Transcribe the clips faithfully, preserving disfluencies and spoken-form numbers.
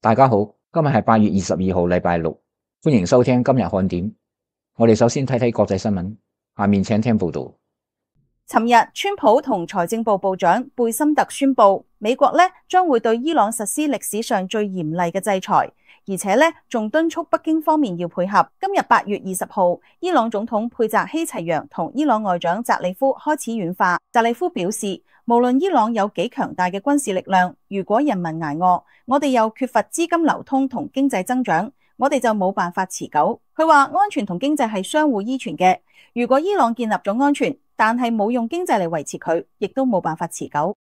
大家好，今日係八月二十二號，禮拜六，歡迎收聽今日看點。我哋首先睇睇國際新聞，下面請聽報道。尋日，川普同財政部部長貝森特宣布，美國咧將會對伊朗實施歷史上最嚴厲嘅制裁，而且咧仲敦促北京方面要配合。今日八月二十號，伊朗總統佩澤希齊揚同伊朗外長扎里夫開始軟化。扎里夫表示，無論伊朗有幾強大嘅軍事力量，如果人民捱餓，我哋又缺乏資金流通同經濟增長，我哋就冇辦法持久。佢話安全同經濟係相互依存嘅，如果伊朗建立咗安全，但係冇用經濟嚟維持佢，亦都冇辦法持久。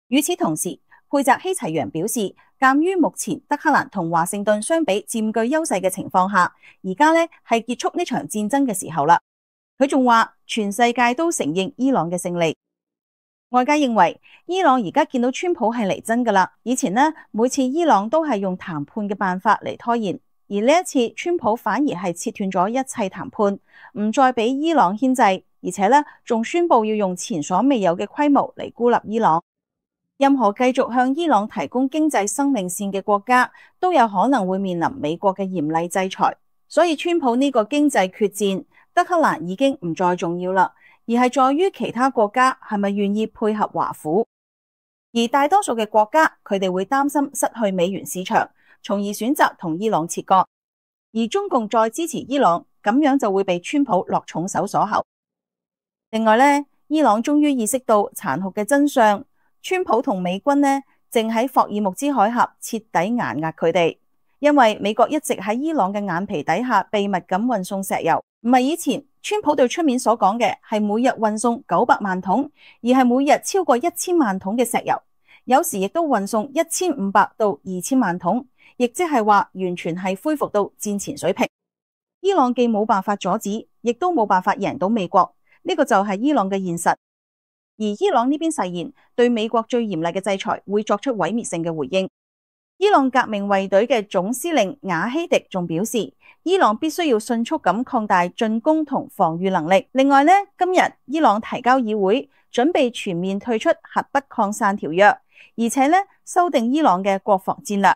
與此同時，佩澤希齊揚表示，鑒於目前德黑蘭同華盛頓相比佔據優勢嘅情況下，而家呢係結束呢場戰爭嘅時候啦。佢仲話，全世界都承認伊朗嘅勝利。外界認為，伊朗而家見到川普係嚟真噶啦。以前呢，每次伊朗都係用談判嘅辦法嚟拖延，而呢一次川普反而係切斷咗一切談判，唔再俾伊朗牽制。而且咧，仲宣布要用前所未有嘅規模嚟孤立伊朗。任何繼續向伊朗提供經濟生命線嘅國家，都有可能會面臨美國嘅嚴厲制裁。所以，川普呢個經濟決戰，德黑蘭已經唔再重要啦，而係在於其他國家係咪願意配合華府。而大多數嘅國家，佢哋會擔心失去美元市場，從而選擇同伊朗切割。而中共再支持伊朗，咁樣就會被川普落重手鎖喉。另外咧，伊朗終於意識到殘酷嘅真相，川普同美軍呢正喺霍爾木茲海峽徹底壓壓佢哋，因為美國一直喺伊朗嘅眼皮底下秘密咁運送石油，唔係以前川普對出面所講嘅係每日運送九百萬桶，而係每日超過一千萬桶嘅石油，有時亦都運送一千五百到二千萬桶，亦即係話完全係恢復到戰前水平。伊朗既冇辦法阻止，亦都冇辦法贏到美國。呢個就係伊朗嘅現實，而伊朗呢邊誓言對美國最嚴厲嘅制裁會作出毀滅性嘅回應。伊朗革命衛隊嘅總司令瓦希迪仲表示，伊朗必須要迅速咁擴大進攻同防禦能力。另外呢，今日伊朗提交議會，準備全面退出核不擴散條約，而且呢修訂伊朗嘅國防戰略，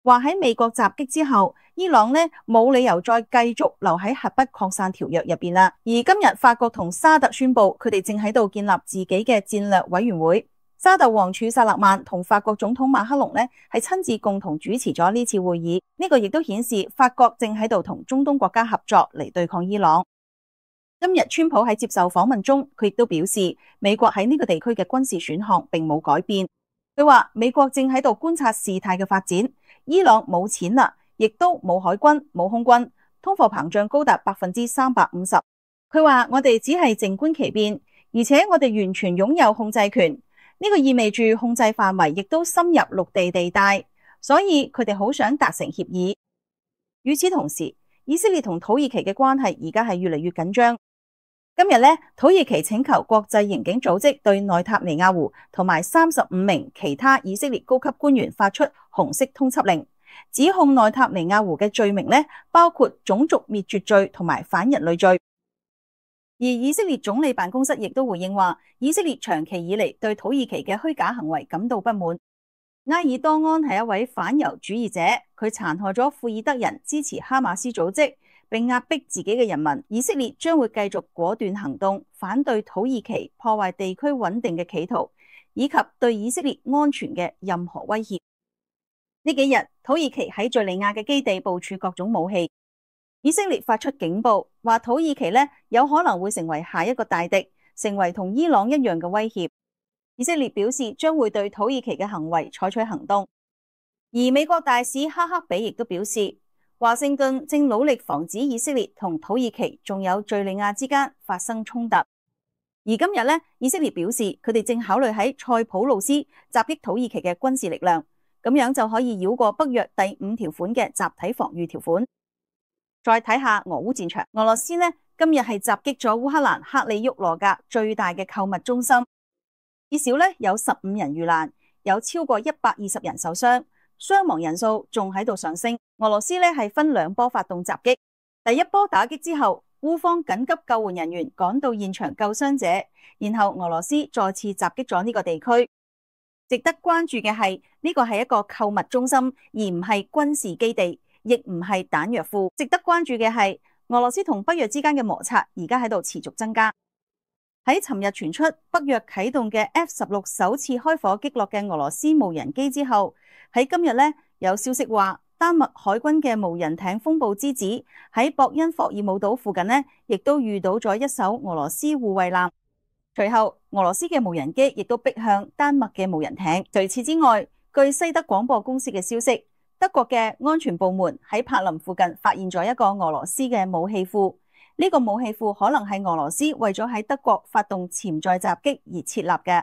話喺美國襲擊之後，伊朗呢冇理由再繼續留喺核不擴散條約入邊啦。而今日法國同沙特宣布，佢哋正喺度建立自己嘅戰略委員會。沙特王儲薩勒曼同法國總統馬克龍呢係親自共同主持咗呢次會議。呢個亦都顯示法國正喺度同中東國家合作嚟對抗伊朗。今日川普喺接受訪問中，佢亦都表示，美國喺呢個地區嘅軍事選項並冇改變。佢話美國正喺度觀察事態嘅發展，伊朗冇錢啦，亦都冇海軍、冇空軍，通貨膨脹高達百分之三百五十。佢話我哋只係靜觀其變，而且我哋完全擁有控制權。呢個意味住控制範圍亦都深入陸地地帶，所以佢哋好想達成協議。與此同時，以色列同土耳其嘅關係而家係越嚟越緊張。今日呢，土耳其請求國際刑警組織對內塔尼亞胡同埋三十五名其他以色列高級官員發出紅色通緝令。指控內塔尼亞胡嘅罪名呢，包括種族滅絕罪同埋反人類罪。而以色列總理辦公室亦都回應話，以色列長期以嚟對土耳其嘅虛假行為感到不滿。埃爾多安係一位反猶主義者，佢殘害咗庫爾德人支持哈馬斯組織，並壓迫自己嘅人民。以色列將會繼續果斷行動，反對土耳其破壞地區穩定嘅企圖，以及對以色列安全嘅任何威脅。呢幾日，土耳其喺敘利亞嘅基地部署各種武器。以色列發出警報，話土耳其呢有可能會成為下一個大敵，成為同伊朗一樣嘅威脅。以色列表示將會對土耳其嘅行為採取行動。而美國大使哈克比亦都表示，華盛頓正努力防止以色列同土耳其仲有敘利亞之間發生衝突。而今日呢，以色列表示佢哋正考慮喺塞浦路斯襲擊土耳其嘅軍事力量。咁樣就可以繞過北約第五條款嘅集體防禦條款。再睇下俄烏戰場，俄羅斯呢今日係襲擊咗烏克蘭克里沃羅格最大嘅購物中心，至少呢有十五人遇難，有超過一百二十人受傷，傷亡人數仲喺度上升。俄羅斯呢係分兩波發動襲擊，第一波打擊之後，烏方緊急救援人員趕到現場救傷者，然後俄羅斯再次襲擊咗呢個地區。值得關注嘅係呢個係一個購物中心，而唔係軍事基地，亦唔係彈藥庫。值得關注嘅係俄羅斯同北約之間嘅摩擦而家喺度持續增加。喺尋日傳出北約啟動嘅 F 十六首次開火擊落嘅俄羅斯無人機之後，喺今日呢，有消息話丹麥海軍嘅無人艇風暴之子喺博恩霍爾姆島附近呢，亦都遇到咗一艘俄羅斯護衛艦。隨後，俄羅斯嘅無人機亦都逼向丹麥嘅無人艇。除此之外，據西德廣播公司嘅消息，德國嘅安全部門喺柏林附近發現咗一個俄羅斯嘅武器庫。呢個武器庫可能係俄羅斯為咗喺德國發動潛在襲擊而設立嘅。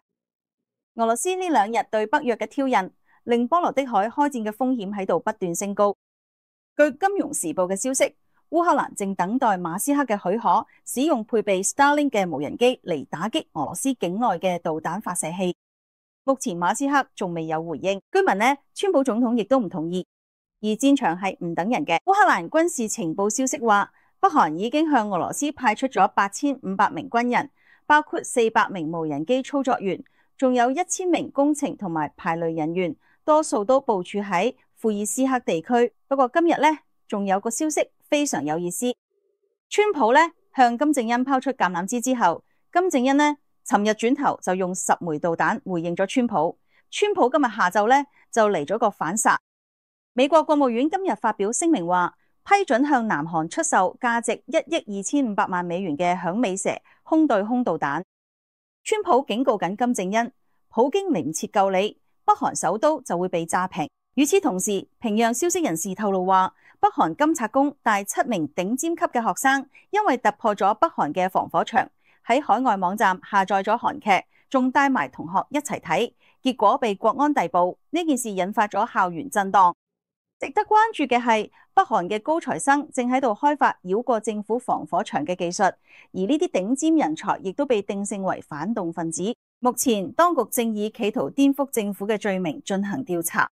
俄羅斯呢兩日對北約嘅挑釁，令波羅的海開戰嘅風險喺度不斷升高。據《金融時報》嘅消息，烏克蘭正等待馬斯克嘅許可，使用配備 Starlink 嘅無人機嚟打擊俄羅斯境內嘅導彈發射器。目前馬斯克仲未有回應。居民呢，川普總統亦都唔同意。而戰場係唔等人嘅。烏克蘭軍事情報消息話，北韓已經向俄羅斯派出咗八千五百名軍人，包括四百名無人機操作員，仲有一千名工程同埋排雷人員，多數都部署喺庫爾斯克地區。不過今日呢，仲有個消息非常有意思。川普呢向金正恩拋出橄欖枝之後，金正恩呢尋日轉頭就用十枚導彈回應咗川普。川普今日下晝呢就嚟咗個反殺。美國國務院今日發表聲明話，批准向南韓出售價值一億二千五百萬美元嘅響尾蛇空對空導彈。川普警告緊金正恩，普京嚟唔切救你，北韓首都就會被炸平。與此同時，平壤消息人士透露話，北韓金策宮帶七名頂尖級嘅學生，因為突破咗北韓嘅防火牆，喺海外網站下載咗韓劇，仲帶埋同學一齊睇，結果被國安逮捕。呢件事引發咗校園震盪。值得關注嘅係，北韓嘅高材生正喺度開發繞過政府防火牆嘅技術，而呢啲頂尖人才亦都被定性為反動分子。目前當局正以企圖顛覆政府嘅罪名進行調查。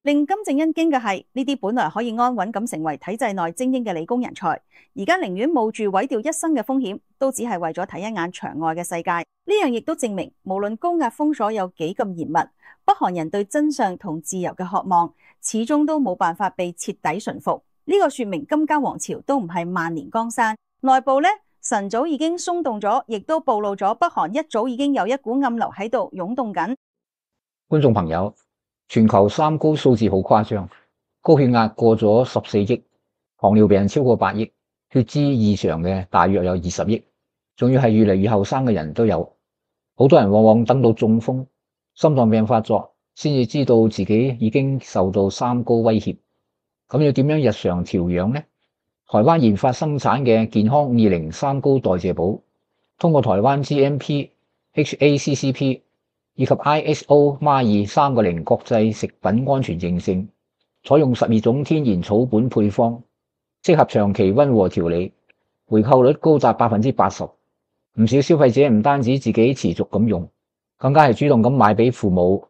令金正恩驚嘅係，呢啲本來可以安穩咁成為體制內精英嘅理工人才，而家寧願冒住毀掉一生嘅風險，都只係為咗睇一眼牆外嘅世界。呢樣亦都證明，無論高壓封鎖有幾咁嚴密，北韓人對真相同自由嘅渴望，始終都冇辦法被徹底馴服。呢、這個說明金家王朝都唔係萬年江山，內部呢，晨早已經鬆動咗，亦都暴露咗北韓一早已經有一股暗流喺度湧動緊。觀眾朋友，全球三高數字好誇張，高血壓過咗十四億，糖尿病超過八億，血脂異常嘅大約有二十億，仲要係越嚟越後生嘅人都有。好多人往往等到中風、心臟病發作，先至知道自己已經受到三高威脅。咁要點樣日常調養呢？台灣研發生產嘅健康二零三高代謝寶，通過台灣 G M P、H A C C P 以及 I S O M A 二三個零國際食品安全認證，採用十二種天然草本配方，適合長期溫和調理，回購率高達百分之八十。唔少消費者唔單止自己持續咁用，更加係主動咁買俾父母、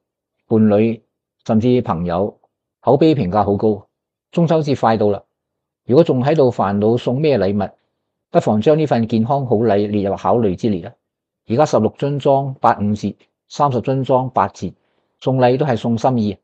伴侶甚至朋友，口碑評價好高。中秋節快到啦，如果仲喺度煩惱送咩禮物，不妨將呢份健康好禮列入考慮之列啦。而家十六樽裝八五折，三十樽裝八折，送禮都係送心意。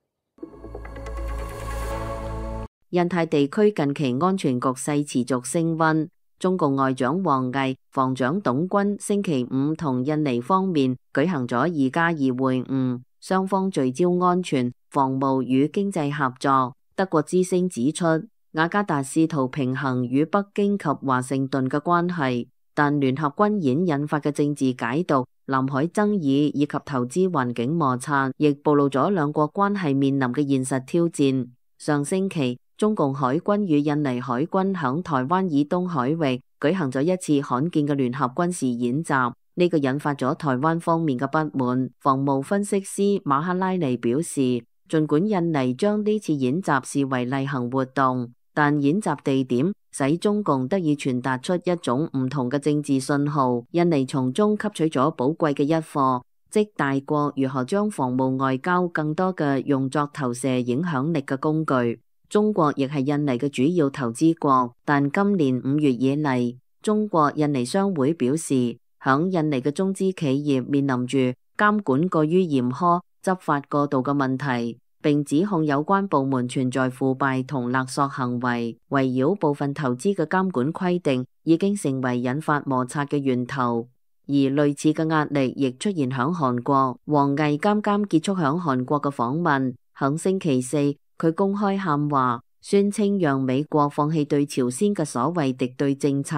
印太地區近期安全局勢持續升溫，中共外長王毅、防長董軍星期五同印尼方面舉行咗二加二會晤，雙方聚焦安全、防務與經濟合作。德國之聲指出，雅加達試圖平衡與北京及華盛頓嘅關係，但聯合軍演引發嘅政治解讀、南海爭議以及投資環境摩擦，亦暴露咗兩國關係面臨嘅現實挑戰。上星期，中共海軍與印尼海軍響台灣以東海域舉行咗一次罕見嘅聯合軍事演習，呢個引發咗台灣方面嘅不滿。防務分析師馬克拉尼表示，儘管印尼將呢次演習視為例行活動，但演習地點使中共得以傳達出一種唔同嘅政治信號。印尼從中吸取咗寶貴嘅一課，即大國如何將防務外交更多嘅用作投射影響力嘅工具。中國亦係印尼嘅主要投資國，但今年五月以嚟，中國印尼商會表示，響印尼嘅中資企業面臨住監管過於嚴苛執法過度嘅問題，並指控有關部門存在腐敗同勒索行為，圍繞部分投資嘅監管規定已經成為引發摩擦嘅源頭。而類似嘅壓力亦出現響韓國。王毅啱啱結束響韓國嘅訪問，響星期四佢公開喊話，宣稱讓美國放棄對朝鮮嘅所謂敵對政策。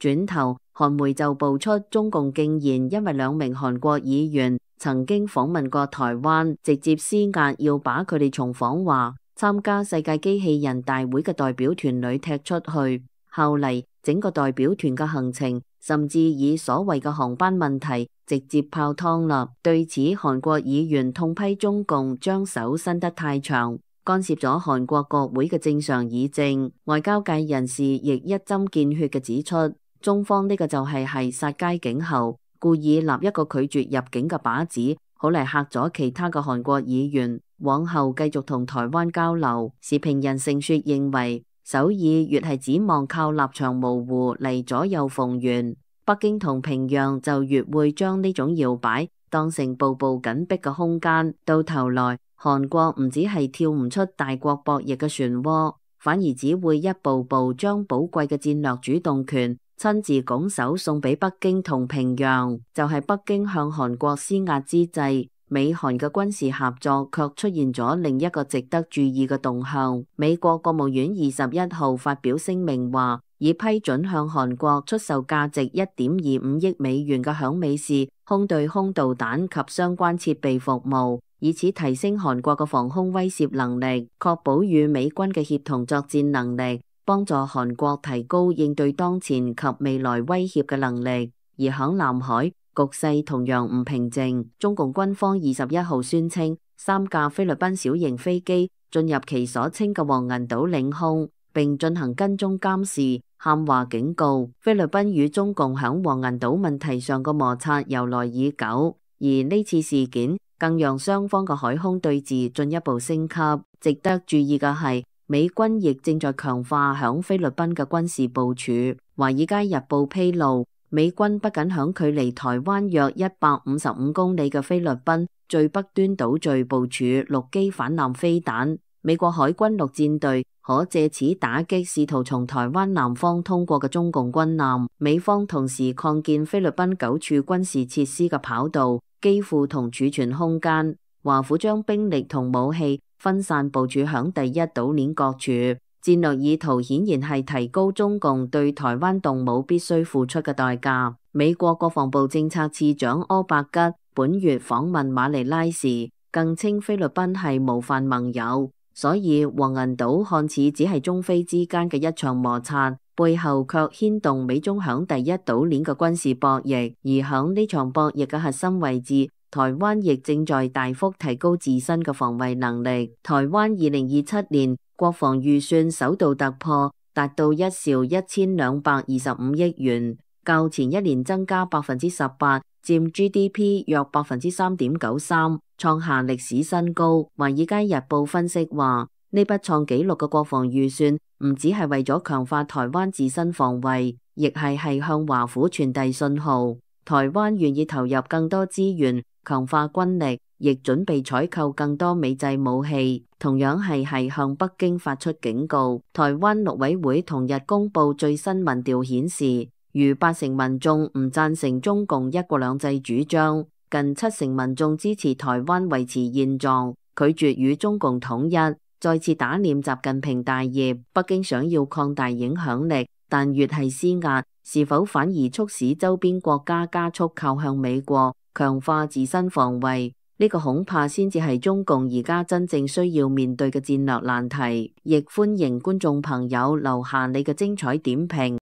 轉頭，韓媒就爆出中共竟然因為兩名韓國議員曾經訪問過台灣，直接施壓要把佢哋從訪華參加世界機器人大會嘅代表團裏踢出去。後嚟整個代表團嘅行程甚至以所謂嘅航班問題直接泡湯啦。對此，韓國議員痛批中共將手伸得太長，干涉咗韓國國會嘅正常議政。外交界人士亦一針見血嘅指出，中方呢個就係係殺雞儆猴，故意立一個拒絕入境嘅靶子，好嚟嚇咗其他嘅韓國議員，往後繼續同台灣交流。時評人盛雪認為，首爾越係指望靠立場模糊嚟左右逢源，北京同平壤就越會將呢種搖擺當成步步緊逼嘅空間。到頭來，韓國唔止係跳唔出大國博弈嘅漩渦，反而只會一步步將寶貴嘅戰略主動權親自拱手送俾北京同平壤。就係北京向韓國施壓之際，美韓嘅軍事合作卻出現咗另一個值得注意嘅動向。美國國務院二十一號發表聲明話，已批准向韓國出售價值一點二五億美元嘅響尾氏空對空導彈及相關設備服務，以此提升韓國嘅防空威懾能力，確保與美軍嘅協同作戰能力，幫助韓國提高應對當前及未來威脅嘅能力。而響南海，局勢同樣唔平靜，中共軍方二十一號宣稱，三架菲律賓小型飛機進入其所稱嘅黃銀島領空，並進行跟蹤監視，喊話警告菲律賓與中共響黃銀島問題上嘅摩擦由來已久，而呢次事件更讓雙方嘅海空對峙進一步升級。值得注意嘅係，美軍亦正在強化響菲律賓嘅軍事部署。華爾街日報披露，美軍不僅響距離台灣約一百五十五公里嘅菲律賓最北端島嶼部署陸基反艦飛彈，美國海軍陸戰隊可借此打擊試圖從台灣南方通過嘅中共軍艦。美方同時擴建菲律賓九處軍事設施嘅跑道、機庫同儲存空間。華府將兵力同武器分散部署響第一島鏈各處。戰略意圖顯然係提高中共對台灣動武必須付出嘅代價。美國國防部政策次長柯伯吉本月訪問馬尼拉時，更稱菲律賓係模範盟友。所以黃銀島看似只係中菲之間嘅一場摩擦，背後卻牽動美中響第一島鏈嘅軍事博弈。而響呢場博弈嘅核心位置，台灣亦正在大幅提高自身嘅防衛能力。台灣二零二七年國防預算首度突破，達到一兆一千兩百二十五億元，較前一年增加百分之十八，佔 G D P 約百分之三點九三，創下歷史新高。華爾街日報分析話，呢筆創紀錄嘅國防預算唔只係為咗強化台灣自身防衛，亦係係向華府傳遞信號，台灣願意投入更多資源，強化軍力，亦準備採購更多美製武器，同樣係係向北京發出警告。台灣陸委會同日公布最新民調顯示，逾八成民眾唔贊成中共一國兩制主張，近七成民眾支持台灣維持現狀，拒絕與中共統一，再次打臉習近平大業。北京想要擴大影響力，但越係施壓，是否反而促使周邊國家加速靠向美國，強化自身防衛？呢個恐怕先至係中共而家真正需要面對嘅戰略難題。亦歡迎觀眾朋友留下你嘅精彩點評。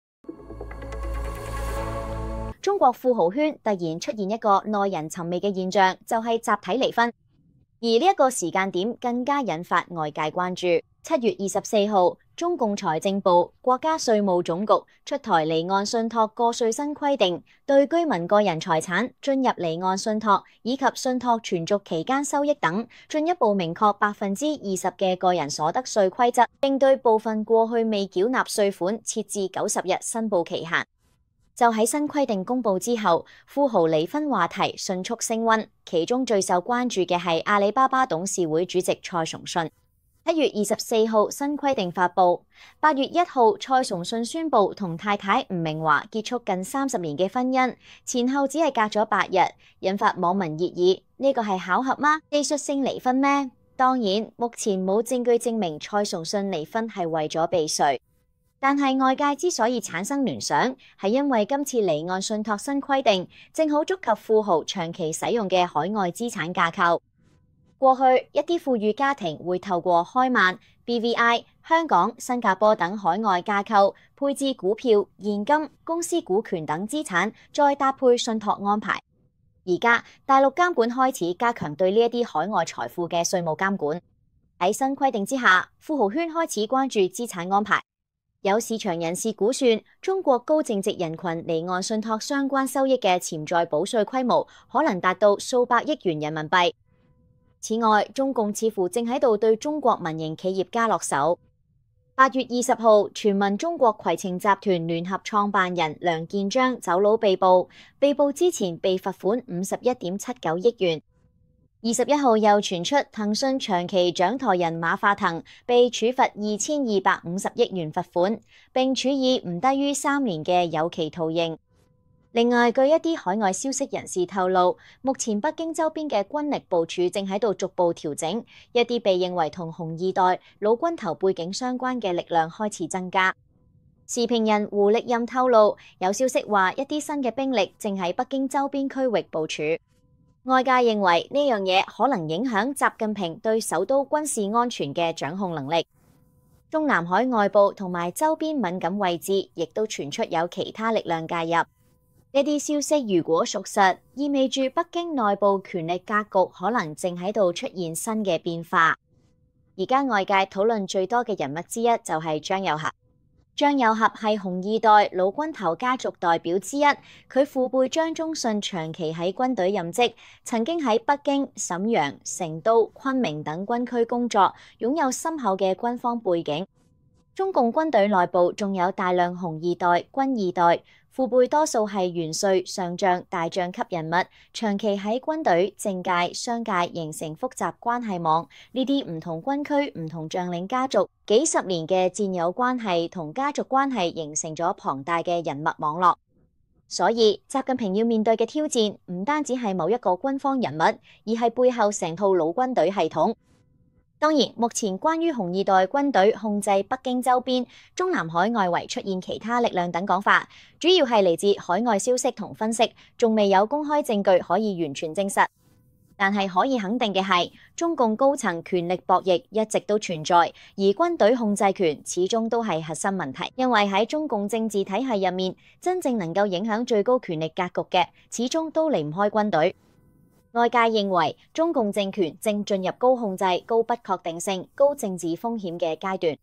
中國富豪圈突然出現一個耐人尋味嘅現象，就係集體離婚，而呢一個時間點更加引發外界關注。七月二十四號，中共財政部、國家稅務總局出台離岸信託個稅新規定，對居民個人財產、進入離岸信託以及信託存續期間收益等，進一步明確百分之二十嘅個人所得稅規則，並對部分過去未繳納稅款設置九十日申報期限。就喺新規定公布之後，富豪離婚話題迅速升溫，其中最受關注嘅係阿里巴巴董事會主席蔡崇信。七月二十四號新規定發布，八月一號蔡崇信宣布同太太吳明華結束近三十年嘅婚姻，前後只係隔咗八日，引發網民熱議。呢個係巧合嗎？技術性離婚咩？當然，目前冇證據證明蔡崇信離婚係為咗避稅。但係外界之所以產生聯想，係因為今次離岸信託新規定，正好觸及富豪長期使用嘅海外資產架構。過去一啲富裕家庭會透過開曼、B V I、香港、新加坡等海外架構配置股票、現金、公司股權等資產，再搭配信託安排。而家大陸監管開始加強對呢一啲海外財富嘅稅務監管。喺新規定之下，富豪圈開始關注資產安排。有市場人士估算，中國高淨值人群離岸信託相關收益嘅潛在補稅規模可能達到數百億元人民幣。此外，中共似乎正喺度對中國民營企業家落手。八月二十號，傳聞中國攜程集團聯合創辦人梁建章走佬被捕，被捕之前被罰款五十一點七九億元。二十一號又傳出騰訊長期掌舵人馬化騰被處罰二千二百五十億元罰款，並處以唔低於三年嘅有期徒刑。另外，據一啲海外消息人士透露，目前北京周邊嘅軍力部署正喺度逐步調整，一啲被認為同紅二代老軍頭背景相關嘅力量開始增加。時評人胡力任透露，有消息話一啲新嘅兵力正喺北京周邊區域部署。外界認為呢樣嘢可能影響習近平對首都軍事安全嘅掌控能力。中南海外部同埋周邊敏感位置，亦都傳出有其他力量介入。呢啲消息如果屬實，意味住北京內部權力格局可能正喺度出現新嘅變化。而家外界討論最多嘅人物之一就係張又俠。張又俠係紅二代老軍頭家族代表之一，佢父輩張宗遜長期喺軍隊任職，曾經喺北京、瀋陽、成都、昆明等軍區工作，擁有深厚嘅軍方背景。中共軍隊內部仲有大量紅二代、軍二代，父輩多數係元帥、上將、大將級人物，長期喺軍隊、政界、商界形成複雜關係網。呢啲唔同軍區、唔同將領家族，幾十年嘅戰友關係同家族關係，形成咗龐大嘅人脈網絡。所以，習近平要面對嘅挑戰，唔單止係某一個軍方人物，而係背後成套老軍隊系統。當然，目前關於紅二代軍隊控制北京周邊、中南海外圍出現其他力量等講法，主要係嚟自海外消息同分析，仲未有公開證據可以完全證實。但係可以肯定嘅係，中共高層權力博弈一直都存在，而軍隊控制權始終都係核心問題。因為喺中共政治體系入面，真正能夠影響最高權力格局嘅，始終都離唔開軍隊。外界認為中共政權正進入高控制、高不確定性、高政治風險嘅階段。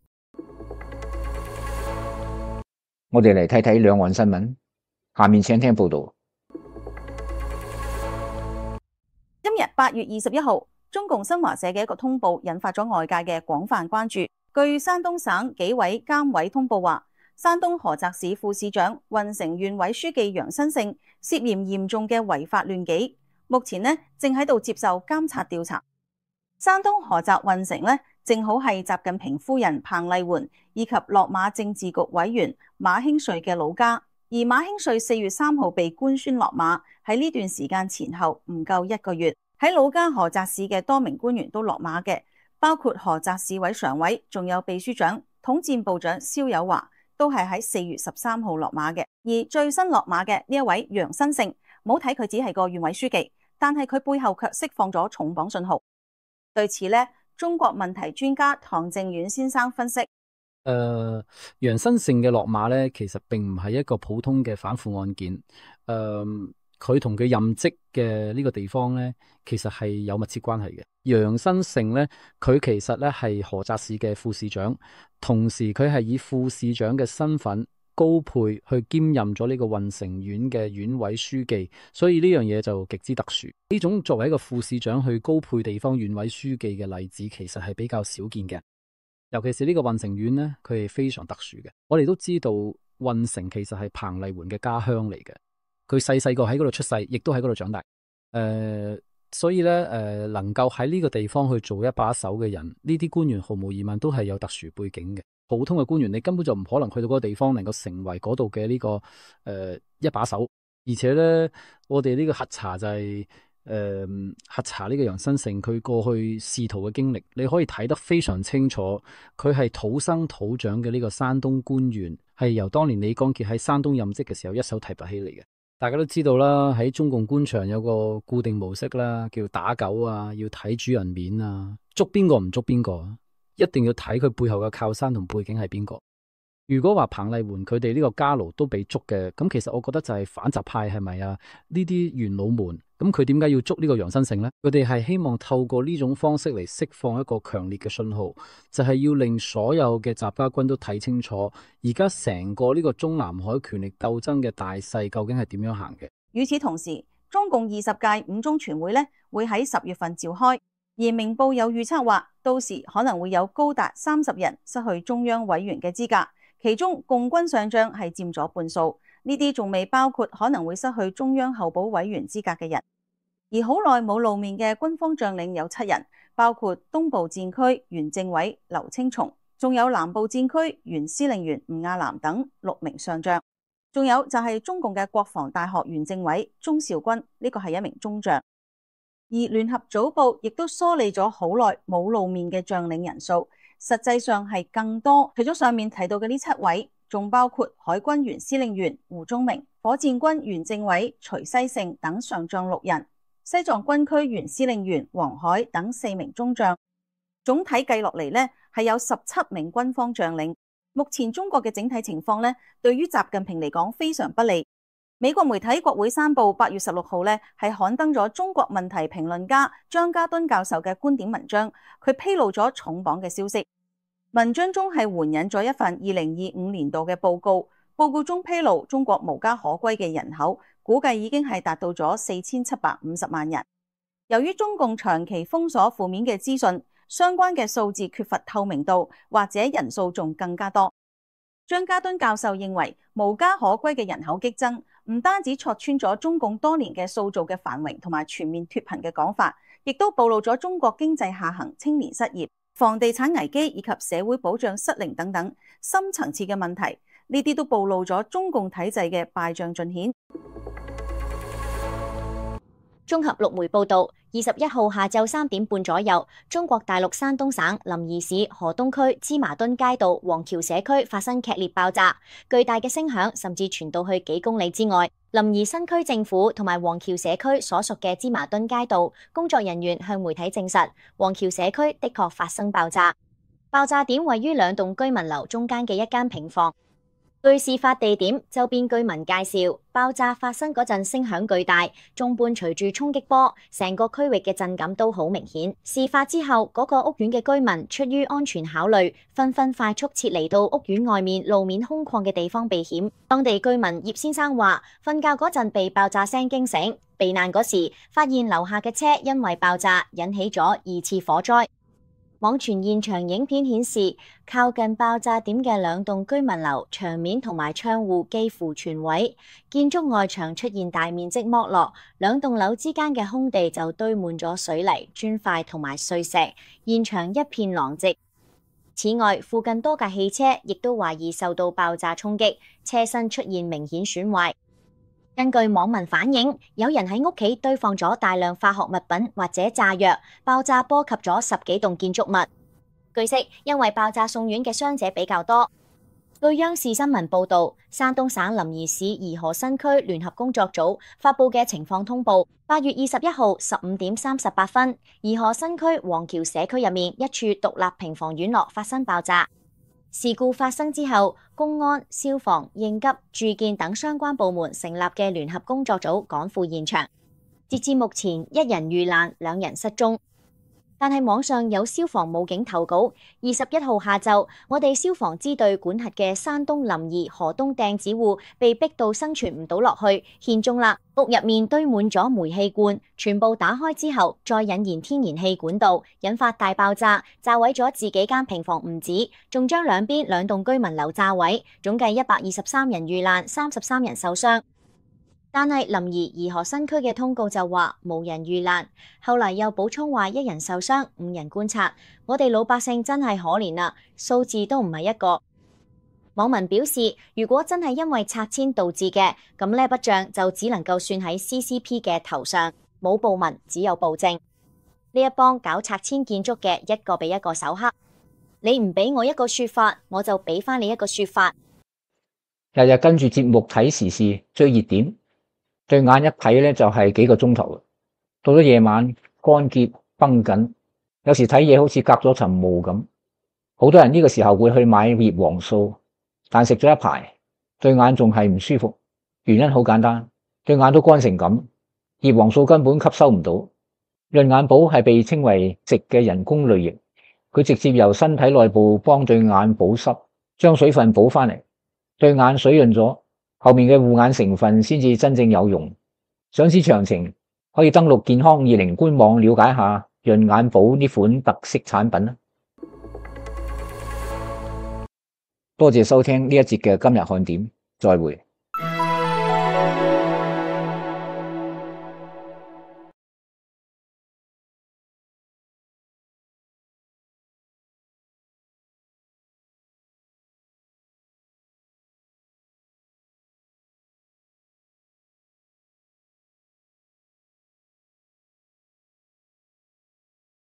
我哋嚟睇睇兩岸新聞，下面請聽報道。今日八月二十一號，中共新華社嘅一個通報引發咗外界嘅廣泛關注。據山東省紀委監委通報話，山東菏澤市副市長、運城縣委書記楊新勝涉嫌嚴重嘅違法亂紀。目前呢，正喺度接受監察調查。山東菏澤運城呢，正好係習近平夫人彭麗媛以及落馬政治局委員馬興瑞嘅老家。而馬興瑞四月三號被官宣落馬，喺呢段時間前後唔夠一個月，喺老家菏澤市嘅多名官員都落馬嘅，包括菏澤市委常委，仲有秘書長、統戰部長肖友華，都係喺四月十三號落馬嘅。而最新落馬嘅呢一位楊新勝，唔好睇佢只係個縣委書記，但係佢背後卻釋放咗重磅信號。對此呢，中國問題專家唐正遠先生分析：誒、呃，楊新勝嘅落馬咧，其實並唔係一個普通嘅反腐案件。誒、呃，佢同佢任職嘅呢個地方咧，其實係有密切關係嘅。楊新勝咧，佢其實咧係菏澤市嘅副市長，同時佢係以副市長嘅身份高配去兼任咗呢個運城縣嘅縣委書記，所以呢樣嘢就極之特殊。呢種作為一個副市長去高配地方縣委書記嘅例子，其實係比較少見嘅。尤其是呢個運城縣呢，佢係非常特殊嘅。我哋都知道運城其實係彭麗媛嘅家鄉嚟嘅，佢細細個喺嗰度出世，亦都喺嗰度長大。誒、呃，所以咧，誒、呃，能夠喺呢個地方去做一把手嘅人，呢啲官員毫無疑問都係有特殊背景嘅。普通嘅官員，你根本就唔可能去到嗰個地方，能夠成為嗰度嘅呢個誒、呃、一把手。而且咧，我哋呢個核查就係、是。誒、呃，核查呢個楊新成佢過去仕途嘅經歷，你可以睇得非常清楚。佢係土生土長嘅呢個山東官員，係由當年李光潔喺山東任職嘅時候一手提拔起嚟嘅。大家都知道啦，喺中共官場有個固定模式啦，叫打狗啊，要睇主人面啊，捉邊個唔捉邊個，一定要睇佢背後嘅靠山同背景係邊個。如果話彭麗媛佢哋呢個家奴都被捉嘅，咁其實我覺得就係反習派係咪啊？呢啲元老們，咁佢點解要捉呢個楊新成呢？佢哋係希望透過呢種方式嚟釋放一個強烈嘅信號，就係要令所有嘅習家軍都睇清楚，而家成個呢個中南海權力鬥爭嘅大勢究竟係點樣行嘅。與此同時，中共二十屆五中全會呢會喺十月份召開，而明報有預測話，到時可能會有高達三十人失去中央委員嘅資格。其中共軍上將係佔咗半數，呢啲仲未包括可能會失去中央候補委員資格嘅人。而好耐冇露面嘅軍方將領有七人，包括東部戰區原政委劉青松，仲有南部戰區原司令員吳亞南等六名上將，仲有就係中共嘅國防大學原政委鍾兆軍，呢個係一名中將。而聯合早報亦都梳理咗好耐冇露面嘅將領人數。實際上係更多，除咗上面提到嘅呢七位，仲包括海軍原司令員胡宗明、火箭軍原政委徐西盛等上將六人，西藏軍區原司令員黃海等四名中將。總體計落嚟呢，係有十七名軍方將領。目前中國嘅整體情況呢，對於習近平嚟講非常不利。美國媒體《國會山報》八月十六號呢係刊登咗中國問題評論家張家敦教授嘅觀點文章，佢披露咗重磅嘅消息。文章中係援引咗一份二零二五年度嘅報告，報告中披露中國無家可歸嘅人口估計已經係達到咗四千七百五十萬人。由於中共長期封鎖負面嘅資訊，相關嘅數字缺乏透明度，或者人數仲更加多。張家敦教授認為，無家可歸嘅人口激增，唔單止戳穿咗中共多年嘅塑造嘅繁榮同埋全面脫貧嘅講法，亦都暴露咗中國經濟下行、青年失業、房地產危機以及社會保障失靈等等深層次嘅問題，呢啲都暴露咗中共體制嘅敗象盡顯。綜合陸媒報道，二十一號下晝三點半左右，中國大陸山東省臨沂市河東區芝麻墩街道黃橋社區發生劇烈爆炸，巨大嘅聲響甚至傳到去幾公里之外。臨沂新區政府同埋黃橋社區所屬嘅芝麻墩街道工作人員向媒體證實，黃橋社區的確發生爆炸。爆炸點位於兩棟居民樓中間嘅一間平房。據事發地點周邊居民介紹，爆炸發生嗰陣聲響巨大，仲伴隨住衝擊波，成個區域嘅震感都好明顯。事發之後，嗰個屋苑嘅居民出於安全考慮，紛紛快速撤離到屋苑外面路面空曠嘅地方避險。當地居民葉先生話，瞓覺嗰陣被爆炸聲驚醒，避難嗰時發現樓下嘅車因為爆炸引起咗二次火災。網傳現場影片顯示，靠近爆炸點嘅兩棟居民樓牆面同埋窗戶幾乎全毀，建築外牆出現大面積剝落，兩棟樓之間嘅空地就堆滿咗水泥、磚塊同埋碎石，現場一片狼藉。此外，附近多架汽車亦都懷疑受到爆炸衝擊，車身出現明顯損壞。根據網民反映，有人喺屋企堆放咗大量化學物品或者炸藥，爆炸波及咗十幾棟建築物。據悉，因為爆炸送院嘅傷者比較多。據央視新聞報道，山東省臨沂市頤河新區聯合工作組發佈嘅情況通報，八月二十一號十五點三十八分，頤河新區黃橋社區入面一處獨立平房院落發生爆炸。事故發生之後，公安、消防、應急、住建等相關部門成立嘅聯合工作組趕赴現場。截至目前，一人遇難，兩人失蹤。但係網上有消防武警投稿，二十一號下晝，我哋消防支隊管轄嘅山東臨沂河東掟子戶被逼到生存唔到落去，獻中啦。屋入面堆滿咗煤氣罐，全部打開之後再引燃天然氣管道，引發大爆炸，炸毀咗自己間平房唔止，仲將兩邊兩棟居民樓炸毀，總計一百二十三人遇難，三十三人受傷。但係臨沂頤河新區嘅通告就話無人遇難，後嚟又補充話一人受傷，五人觀察。我哋老百姓真係可憐啦，數字都唔係一個。網民表示，如果真係因為拆遷導致嘅，咁呢筆賬就只能夠算喺 C C P 嘅頭上，冇報文，只有報證。呢一幫搞拆遷建築嘅一個比一個手黑，你唔俾我一個說法，我就俾翻你一個說法。日日跟住節目睇時事追熱點，對眼一睇咧就係幾個鐘頭，到咗夜晚乾澀繃緊，有時睇嘢好似隔咗層霧咁。好多人呢個時候會去買葉黃素，但食咗一排，對眼仲係唔舒服。原因好簡單，對眼都乾成咁，葉黃素根本吸收唔到。潤眼寶係被稱為食嘅人工淚液，佢直接由身體內部幫對眼保濕，將水分補翻嚟，對眼水潤咗，後面嘅護眼成分先至真正有用。想知詳情，可以登錄健康二零官網了解下潤眼寶呢款特色產品啦。多謝收聽呢一節嘅今日看點，再會。